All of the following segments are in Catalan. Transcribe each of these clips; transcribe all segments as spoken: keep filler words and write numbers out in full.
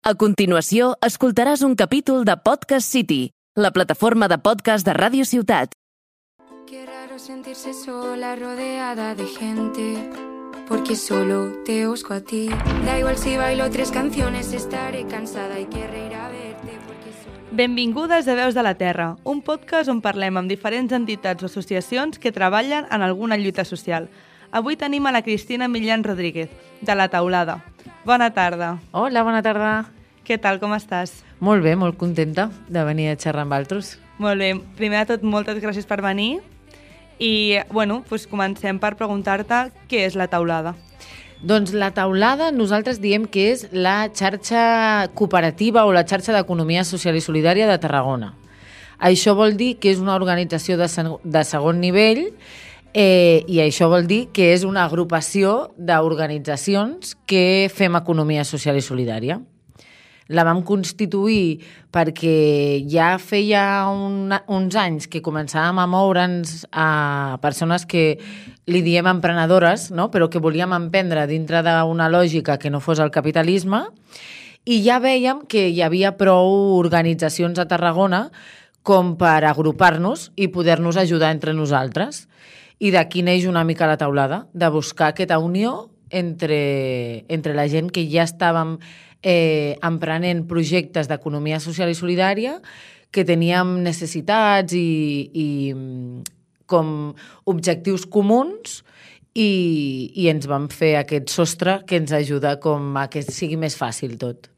A continuació, escoltaràs un capítol de Podcast City, la plataforma de podcast de Ràdio Ciutat. Qué raro sentirse sola, rodeada de gente, porque solo te busco a ti. Da igual si bailo tres canciones, estaré cansada y querré ir a verte, porque solo... Benvingudes a Veus de la Terra, un podcast on parlem amb diferents entitats o associacions que treballen en alguna lluita social. Avui tenim a la Cristina Millán Rodríguez, de La Taulada. Bona tarda. Hola, bona tarda. Què tal, com estàs? Molt bé, molt contenta de venir a xerrar amb altres. Molt bé. Primer de tot, moltes gràcies per venir. I, bueno, doncs comencem per preguntar-te què és La Taulada. Doncs La Taulada, nosaltres diem que és la xarxa cooperativa o la xarxa d'economia social i solidària de Tarragona. Això vol dir que és una organització de, sen- de segon nivell eh, i això vol dir que és una agrupació d'organitzacions que fem economia social i solidària. La vam constituir perquè ja feia un, uns anys que començàvem a moure'ns a persones que li diem emprenedores, no? Però que volíem emprendre dintre d'una lògica que no fos el capitalisme, i ja vèiem que hi havia prou organitzacions a Tarragona com per agrupar-nos i poder-nos ajudar entre nosaltres. I d'aquí neix una mica La Taulada, de buscar aquesta unió entre, entre la gent que ja estàvem eh, emprenent projectes d'economia social i solidària, que teníem necessitats i, i com objectius comuns i, i ens vam fer aquest sostre que ens ajuda com a que sigui més fàcil tot.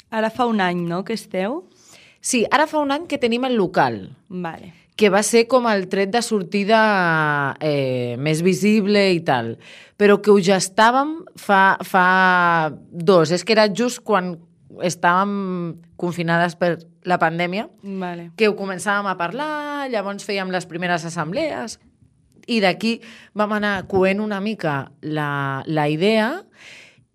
Ara fa un any, no?, que esteu? Sí, ara fa un any que tenim el local. Vale. Que va ser com el tret de sortida eh, més visible i tal, però que ho gestàvem fa, fa dos. És que era just quan estàvem confinades per la pandèmia, Vale. que ho començàvem a parlar, llavors fèiem les primeres assemblees, i d'aquí vam anar coent una mica la, la idea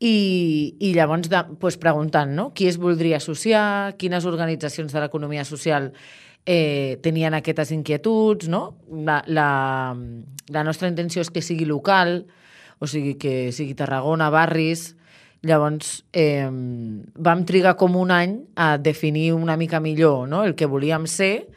i, i llavors de, pues, preguntant, no? Qui es voldria associar, quines organitzacions de l'economia social Eh, tenien aquestes inquietuds, no? La, la, la nostra intenció és que sigui local, o sigui, que sigui Tarragona, barris. Llavors, eh, vam trigar com un any a definir una mica millor, no?, el que volíem ser,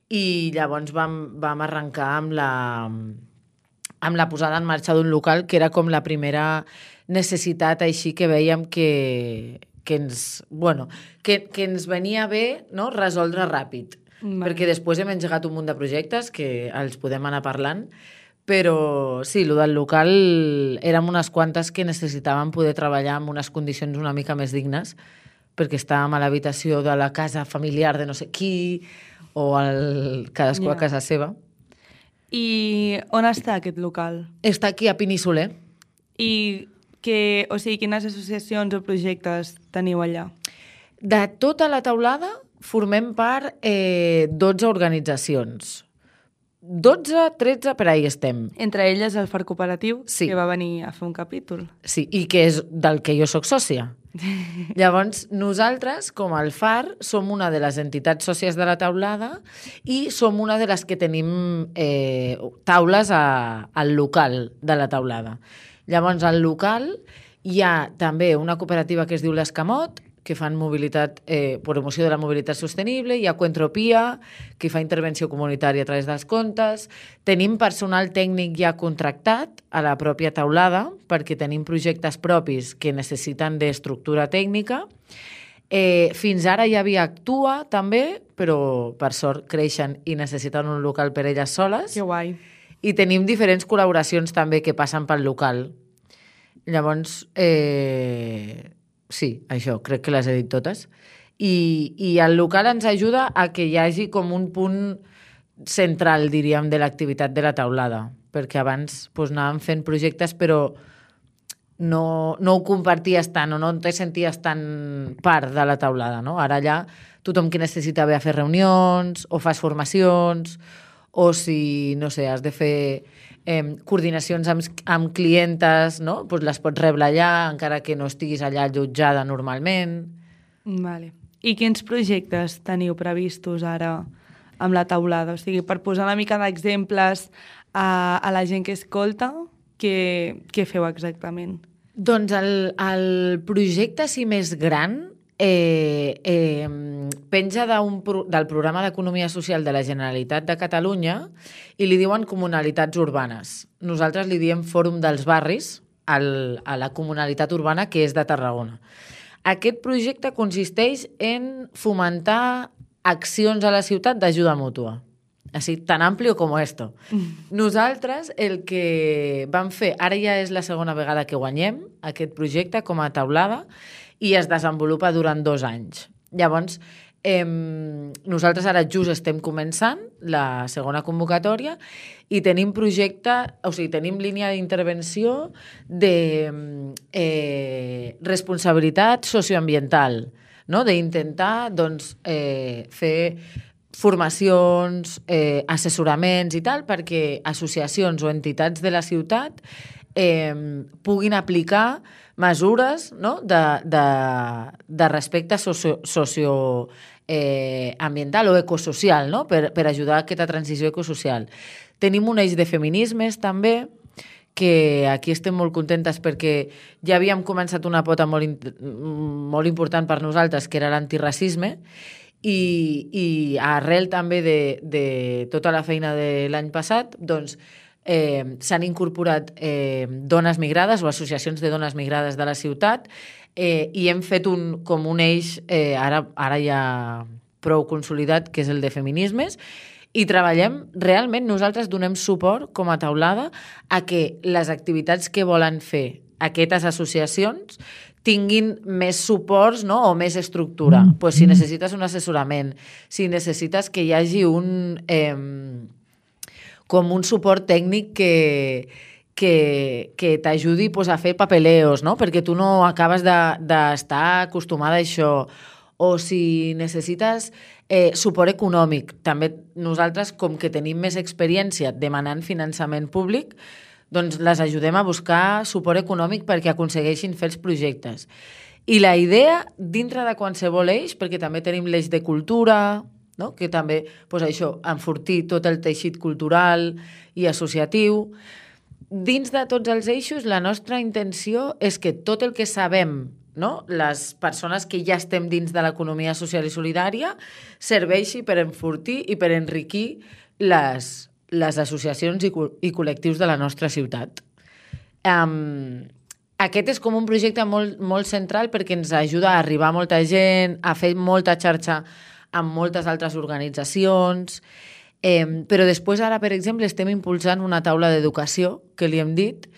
i llavors vam, vam arrencar amb la, amb la posada en marxa d'un local, que era com la primera necessitat així que vèiem que, que, ens, bueno, que, que ens venia bé, no?, resoldre ràpid. Vale. Perquè després hem engegat un munt de projectes que els podem anar parlant, però sí, el del local érem unes quantes que necessitàvem poder treballar en unes condicions una mica més dignes, perquè estàvem a l'habitació de la casa familiar de no sé qui, o el, cadascú yeah. a casa seva. I on està aquest local? Està aquí a Peníscola. I que, o sigui, quines associacions o projectes teniu allà? De tota La Taulada formem part eh, dotze organitzacions. dotze, tretze, per ahí estem. Entre elles el Far Cooperatiu, sí. que va venir a fer un capítol. Sí, i que és del que jo sóc sòcia. Llavors, nosaltres, com el Far, som una de les entitats sòcies de La Taulada i som una de les que tenim eh, taules a, al local de La Taulada. Llavors, al local hi ha també una cooperativa que es diu l'Escamot, que fan mobilitat, eh, promoció de la mobilitat sostenible, hi ha Coentropia, que fa intervenció comunitària a través dels comptes. Tenim personal tècnic ja contractat a la pròpia taulada, perquè tenim projectes propis que necessiten d'estructura tècnica. Eh, fins ara hi havia Actua, també, però per sort creixen i necessiten un local per elles soles. Que guai. I tenim diferents col·laboracions també que passen pel local. Llavors, eh... sí, això, crec que les he dit totes. I, i el local ens ajuda a que hi hagi com un punt central, diríem, de l'activitat de La Taulada, perquè abans doncs, anàvem fent projectes però no, no ho comparties tant o no te senties tan part de La Taulada, no? Ara allà tothom que necessita ve a fer reunions o fas formacions o si, no sé, has de fer eh, coordinacions amb, amb clientes, no? Pues les pots rebre allà, encara que no estiguis allà allotjada normalment. Vale. I quins projectes teniu previstos ara amb La Taulada? O sigui, per posar una mica d'exemples a, a la gent que escolta, què, què feu exactament? Doncs el, el projecte sí més gran eh, eh, penja d'un, del programa d'Economia Social de la Generalitat de Catalunya i li diuen comunalitats urbanes. Nosaltres li diem Fòrum dels Barris al, a la comunalitat urbana que és de Tarragona. Aquest projecte consisteix en fomentar accions a la ciutat d'ajuda mútua. Així, tan amplio com esto. Mm. Nosaltres el que vam fer, ara ja és la segona vegada que guanyem aquest projecte com a taulada i es desenvolupa durant dos anys. Llavors, eh, nosaltres ara just estem començant la segona convocatòria i tenim projecte, o sigui, tenim línia d'intervenció de eh, responsabilitat socioambiental, no? D'intentar doncs, eh, fer formacions, eh, assessoraments i tal, perquè associacions o entitats de la ciutat eh, puguin aplicar mesures, no? de, de, de respecte socio, socio eh, ambiental o ecosocial, no? per, per ajudar a aquesta transició ecosocial. Tenim un eix de feminismes també, que aquí estem molt contentes perquè ja havíem començat una pota molt, molt important per nosaltres, que era l'antiracisme, i, i arrel també de, de tota la feina de l'any passat, doncs, eh, s'han incorporat eh, dones migrades o associacions de dones migrades de la ciutat eh, i hem fet un, com un eix, eh, ara, ara ja prou consolidat, que és el de feminismes, i treballem, realment nosaltres donem suport com a taulada a que les activitats que volen fer aquestes associacions tinguin més suports, no? O més estructura. Mm. Pues si necessites un assessorament, si necessites que hi hagi un, eh, com un suport tècnic que, que, que t'ajudi pues, a fer papeleos, no? Perquè tu no acabes d'estar de, acostumada a això. O si necessites eh, suport econòmic. També nosaltres, com que tenim més experiència demanant finançament públic, doncs les ajudem a buscar suport econòmic perquè aconsegueixin fer els projectes. I la idea, dintre de qualsevol eix, perquè també tenim l'eix de cultura, no? Que també, doncs això, enfortir tot el teixit cultural i associatiu. Dins de tots els eixos, la nostra intenció és que tot el que sabem, no? Les persones que ja estem dins de l'economia social i solidària serveixi per enfortir i per enriquir les, les associacions i, i col·lectius de la nostra ciutat. Um, aquest és com un projecte molt, molt central perquè ens ajuda a arribar a molta gent, a fer molta xarxa amb moltes altres organitzacions, eh, però després ara, per exemple, estem impulsant una taula d'educació, que li hem dit,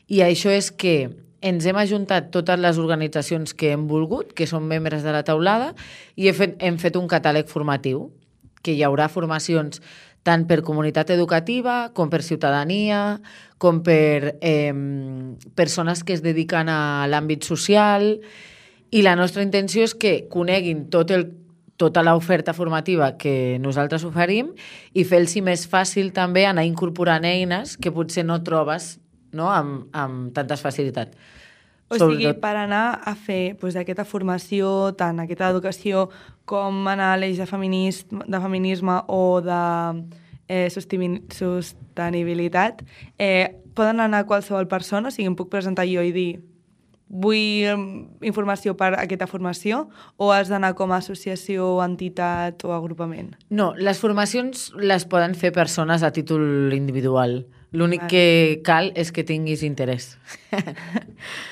i això és que ens hem ajuntat totes les organitzacions que hem volgut, que són membres de la taulada, i hem fet, hem fet un catàleg formatiu, que hi haurà formacions tant per comunitat educativa, com per ciutadania, com per eh, persones que es dediquen a l'àmbit social, i la nostra intenció és que coneguin tot el, tota l'oferta formativa que nosaltres oferim i fer-los més fàcil també anar incorporant eines que potser no trobes, no? amb, amb tantes facilitats. O sigui, Sobretot... per anar a fer pues, aquesta formació, tant aquesta educació com anar a l'eix de, de feminisme o de eh, sostenibilitat, eh, poden anar qualsevol persona, o sigui, em puc presentar jo i dir vull informació per aquesta formació o has d'anar com a associació, entitat o agrupament? No, les formacions les poden fer persones a títol individual. L'únic vale. que cal és que tinguis interès.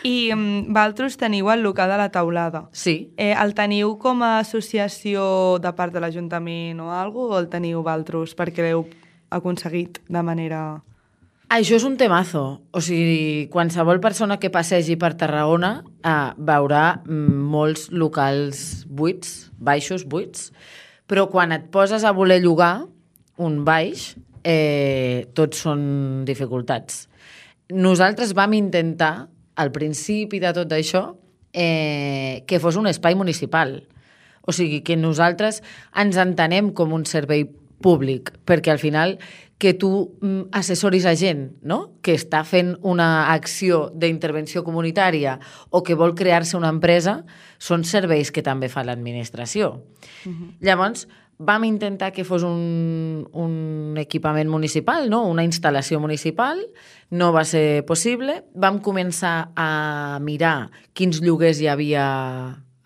I um, vosaltres teniu el local de la taulada. Sí. Eh, el teniu com a associació de part de l'Ajuntament o alguna cosa, o el teniu vosaltres perquè l'heu aconseguit de manera... Això és un temazo. O sigui, qualsevol persona que passegi per Tarragona eh, veurà molts locals buits, baixos buits, però quan et poses a voler llogar un baix, eh, tots són dificultats. Nosaltres vam intentar, al principi de tot això, eh, que fos un espai municipal. O sigui, que nosaltres ens entenem com un servei públic, perquè al final que tu assessoris a gent, no? Que està fent una acció d'intervenció comunitària o que vol crear-se una empresa, són serveis que també fa l'administració. Uh-huh. Llavors, vam intentar que fos un, un equipament municipal, no? Una instal·lació municipal, no va ser possible. Vam començar a mirar quins lloguers hi havia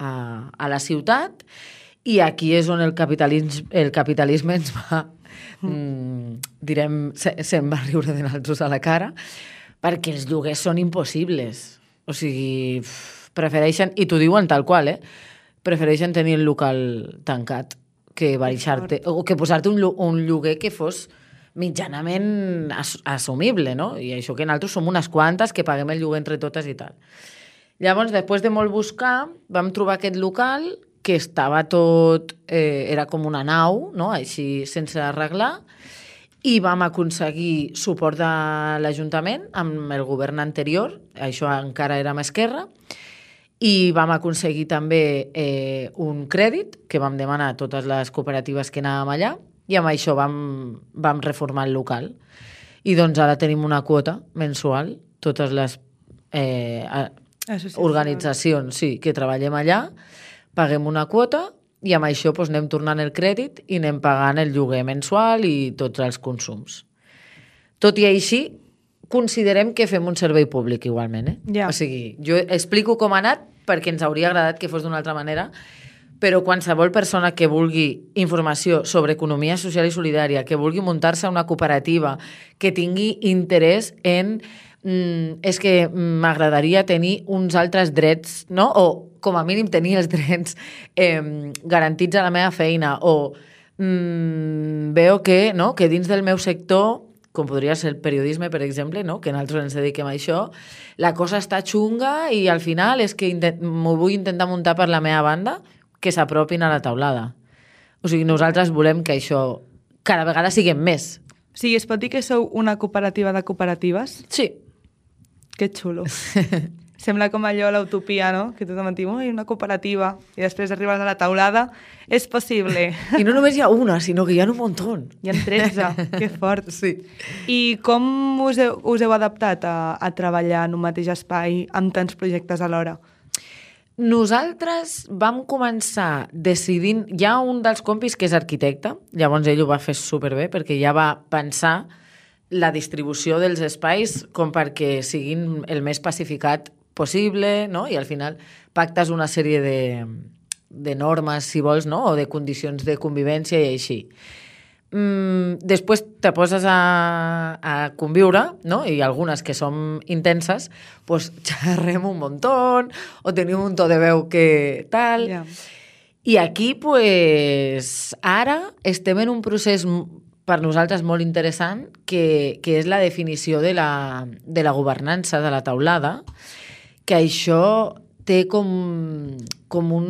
a, a la ciutat, i aquí és on el capitalisme, el capitalisme ens va, mm, direm, se, se'n va riure de nosaltres a la cara, perquè els lloguers són impossibles. O sigui, prefereixen, i t'ho diuen tal qual, eh? Prefereixen tenir el local tancat que baixar-te, o que posar-te un, un lloguer que fos mitjanament as, assumible, no? I això que nosaltres som unes quantes que paguem el lloguer entre totes i tal. Llavors, després de molt buscar, vam trobar aquest local que estava tot, eh, era com una nau, no? Així sense arreglar, i vam aconseguir suport de l'Ajuntament amb el govern anterior, això encara era amb Esquerra, i vam aconseguir també eh, un crèdit que vam demanar a totes les cooperatives que anàvem allà, i amb això vam, vam reformar el local. I doncs ara tenim una quota mensual, totes les eh, organitzacions sí, que treballem allà, paguem una quota i amb això doncs, anem tornant el crèdit i anem pagant el lloguer mensual i tots els consums. Tot i així, considerem que fem un servei públic igualment. Eh? Ja. O sigui, jo explico com ha anat perquè ens hauria agradat que fos d'una altra manera, però qualsevol persona que vulgui informació sobre economia social i solidària, que vulgui muntar-se una cooperativa, que tingui interès en Mm, és que m'agradaria tenir uns altres drets, no? O com a mínim tenir els drets eh, garantits a la meva feina, o mm, veo que, no? que dins del meu sector, com podria ser el periodisme, per exemple, no? que nosaltres ens dediquem a això, la cosa està xunga i al final és que m'ho vull intentar muntar per la meva banda, que s'apropin a la taulada. O sigui, nosaltres volem que això cada vegada siguem més. O sigui, es pot dir que sou una cooperativa de cooperatives? Sí. Que xulo. Sembla com allò a l'utopia, no? Que tothom et diu, ui, una cooperativa, i després arribes a la taulada. És possible. I no només hi ha una, sinó que hi ha un muntó. Hi ha tretze, que fort. Sí. I com us heu, us heu adaptat a, a treballar en un mateix espai amb tants projectes alhora? Nosaltres vam començar decidint... Hi ha un dels compis que és arquitecte, llavors ell ho va fer superbé perquè ja va pensar la distribució dels espais com perquè siguin el més pacificat possible, no? I al final pactes una sèrie de, de normes, si vols, no? O de condicions de convivència i així. Mm, després te poses a, a conviure, no? I algunes que són intenses, pues xerrem un muntó o tenim un to de veu que tal. Yeah. I aquí, pues, ara estem en un procés per nosaltres molt interessant, que, que és la definició de la, de la governança, de la taulada, que això té com, com un,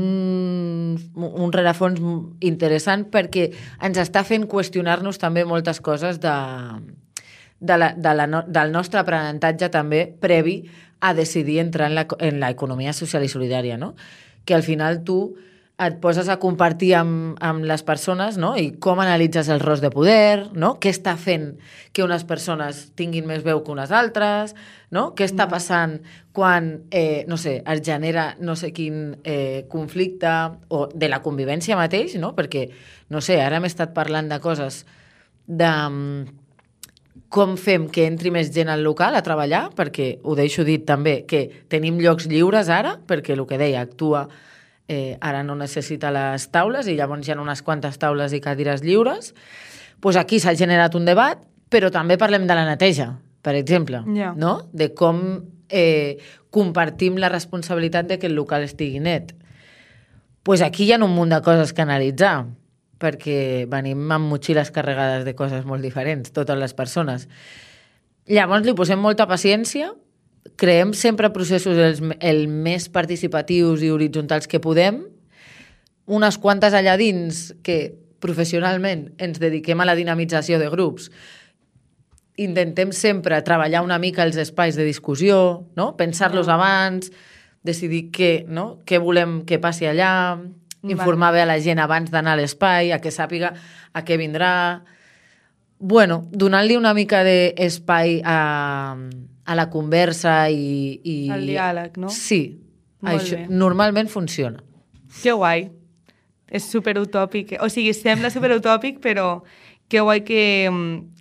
un rerefons interessant perquè ens està fent qüestionar-nos també moltes coses de, de la, de la, del nostre aprenentatge també previ a decidir entrar en l'economia social i solidària, no? Que al final tu et poses a compartir amb, amb les persones, no? I com analitzes el rols de poder, no? Què està fent que unes persones tinguin més veu que unes altres, no? Què està passant quan, eh, no sé, es genera no sé quin eh, conflicte o de la convivència mateix, no? Perquè, no sé, ara hem estat parlant de coses de com fem que entri més gent al local a treballar, perquè ho deixo dit també, que tenim llocs lliures ara, perquè el que deia, actua Eh, ara no necessita les taules i llavors hi ha unes quantes taules i cadires lliures, pues aquí s'ha generat un debat, però també parlem de la neteja, per exemple, yeah. no? De com eh, compartim la responsabilitat de que el local estigui net. Pues aquí hi ha un munt de coses que analitzar, perquè venim amb motxilles carregades de coses molt diferents, totes les persones. Llavors li posem molta paciència, creem sempre processos el, el més participatius i horitzontals que podem, unes quantes allà dins que professionalment ens dediquem a la dinamització de grups, intentem sempre treballar una mica els espais de discussió, no? Pensar-los abans, decidir què, no? Què volem que passi allà, informar bé a la gent abans d'anar a l'espai, a que sàpiga a què vindrà. Bueno, donant-li una mica d'espai a... a la conversa i... i... El diàleg, no? Sí. Molt això bé. normalment funciona. Que guai. És superutòpic. O sigui, sembla superutòpic, però que guai que,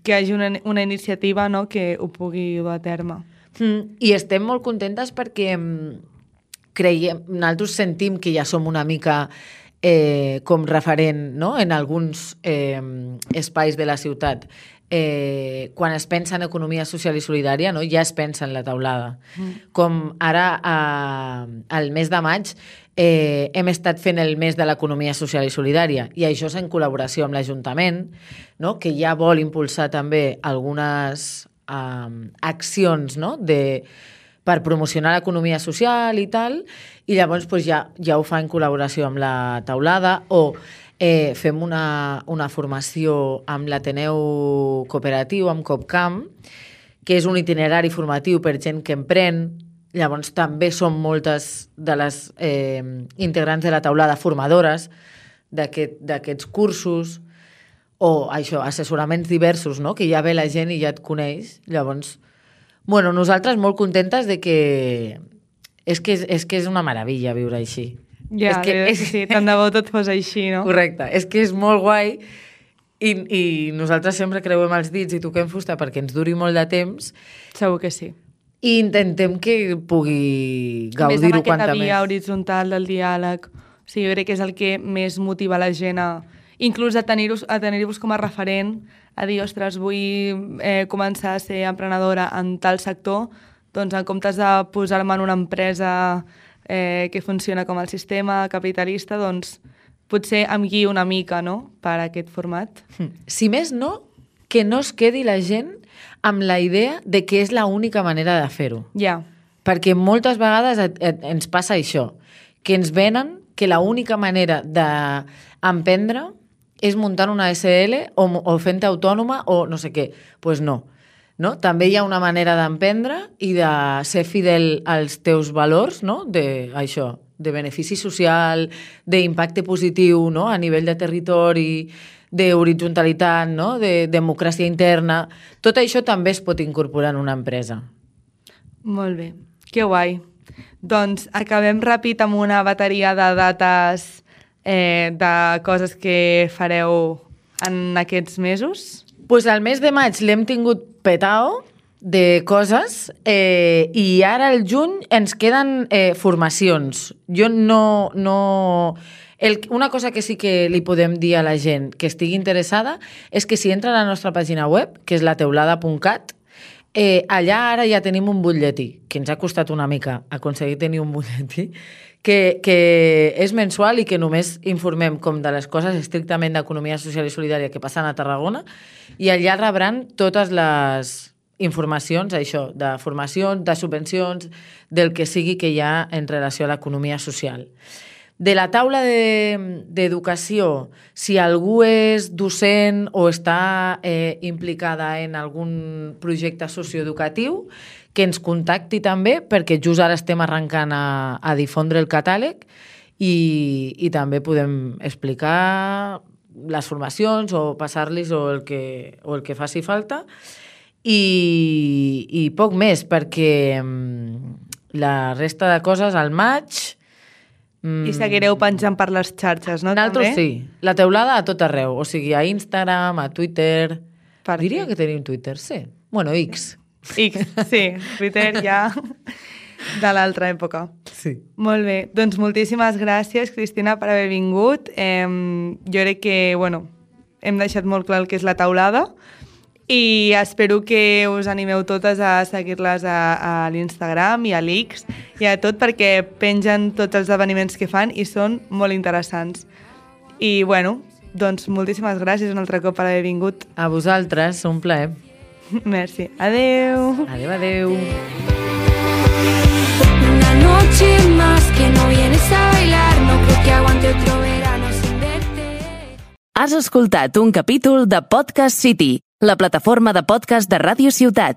que hi hagi una, una iniciativa, no?, que ho pugui dur a terme. Mm, I estem molt contentes perquè creiem, nosaltres sentim que ja som una mica eh, com referent, no?, en alguns eh, espais de la ciutat. Eh, quan es pensa en economia social i solidària, no?, ja es pensa en la taulada. Mm. Com ara, eh, al mes de maig, eh, hem estat fent el mes de l'economia social i solidària, i això és en col·laboració amb l'Ajuntament, no?, que ja vol impulsar també algunes eh, accions, no?, de, per promocionar l'economia social i tal, i llavors pues, ja, ja ho fa en col·laboració amb la taulada, o eh, fem una, una formació amb l'Ateneu Cooperatiu, amb Copcamp, que és un itinerari formatiu per gent que emprèn. Llavors també són moltes de les eh, integrants de la taulada formadores d'aquest, d'aquests cursos, o això, assessoraments diversos, no?, que ja ve la gent i ja et coneix. Llavors, bueno, nosaltres molt contentes de que... És que és, és, que és una meravella viure així. Ja, és que, és... sí, tant de bo tot fos així, no? Correcte, és que és molt guai i, i nosaltres sempre creuem els dits i toquem fusta perquè ens duri molt de temps. Segur que sí. I intentem que pugui gaudir-ho quanta més. Més en aquesta via horitzontal del diàleg. O sigui, jo crec que és el que més motiva la gent a, inclús a tenir-vos a tenir-vos com a referent, a dir, ostres, vull eh, començar a ser emprenedora en tal sector, doncs en comptes de posar-me en una empresa eh, que funciona com el sistema capitalista, doncs potser em guiï una mica, no?, per aquest format. Si més no, que no es quedi la gent amb la idea de que és l'única manera de fer-ho. Ja. Perquè moltes vegades et, et, ens passa això, que ens venen que l'única manera d'emprendre és muntant una S L o, o fent-te autònoma o no sé què. Doncs pues no. No? També hi ha una manera d'emprendre i de ser fidel als teus valors, no?, de, això, de benefici social, d'impacte positiu, no?, a nivell de territori, d'horitzontalitat, no?, de democràcia interna. Tot això també es pot incorporar en una empresa. Molt bé, que guai. Doncs acabem ràpid amb una bateria de dates eh, de coses que fareu en aquests mesos. Pues al mes de maig l'hem tingut petao de coses eh, i ara al juny ens queden eh, formacions. Jo no... no... El, una cosa que sí que li podem dir a la gent que estigui interessada és que si entra a la nostra pàgina web, que és la teulada punt cat, eh, allà ara ja tenim un butlletí, que ens ha costat una mica aconseguir tenir un butlletí, que, que és mensual i que només informem com de les coses estrictament d'economia social i solidària que passen a Tarragona, i allà rebran totes les informacions, això, de formacions, de subvencions, del que sigui que hi ha en relació a l'economia social. De la taula d'educació, de, si algú és docent o està eh, implicada en algun projecte socioeducatiu, que ens contacti també, perquè just ara estem arrencant a, a difondre el catàleg i, i també podem explicar les formacions o passar-los o, el que, o el que faci falta. I, i poc més, perquè la resta de coses al maig... I seguireu penjant per les xarxes, no? Nosaltres sí. La teulada a tot arreu. O sigui, a Instagram, a Twitter... Per Diria que tenim Twitter, sí. Bueno, X. X, sí. Twitter ja de l'altra època. Sí. Molt bé. Doncs moltíssimes gràcies, Cristina, per haver vingut. Eh, jo crec que, bueno, hem deixat molt clar el que és la taulada i espero que us animeu totes a seguir-les a, a l'Instagram i a l'X i a tot, perquè pengen tots els esdeveniments que fan i són molt interessants. I, bueno, doncs moltíssimes gràcies un altre cop per haver vingut. A vosaltres, un plaer. Merci. Adeu. Adeu, adeu. Una noche más que no vienes a bailar, no creo que aguante otro verano sin verte. Has escoltat un capítol de Podcast City, la plataforma de podcast de Ràdio Ciutat.